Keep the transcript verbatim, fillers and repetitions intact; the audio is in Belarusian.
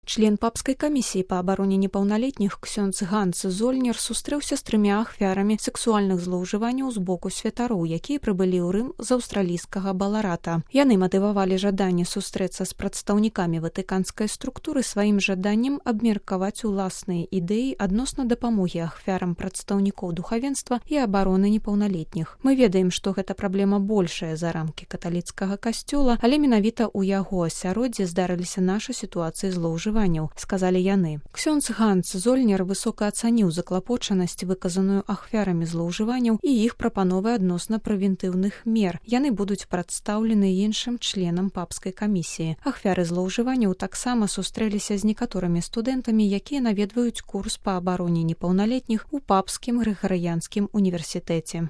Член папской комиссии по обороне непаўналетніх ксёндз Ганс Зольнер сустрэўся з трымя ахвярамі сексуальных злоўжыванняў з боку святароў, якія прыбылі ў Рым з аўстралійскага Баларата. Яны матывавалі жаданне сустрэцца з прадстаўнікамі ватыканскай структуры сваім жаданнем абмеркаваць уласныя ідэі адносна дапамогі ахвярам прадстаўнікоў духавенства і абароны непаўналетніх. Мы ведаем, што гэта праблема большая за рамкі каталіцкага касцёла, але менавіта ў яго асяроддзі здарыліся нашы сітуацыі злоўжывання, сказалі яны. Ксёндз Ганс Зольнер высока ацаніў заклапочанасць, выказаную ахвярамі злоўжыванняў і іх прапановы адносна прэвентыўных мер. Яны будуць прадстаўлены іншым членам папскай камісіі. Ахвяры злоўжыванняў таксама сустрэліся з некаторымі студэнтамі, якія наведваюць курс па абароне непаўналетніх у папскім грыгарыянскім універсітэце.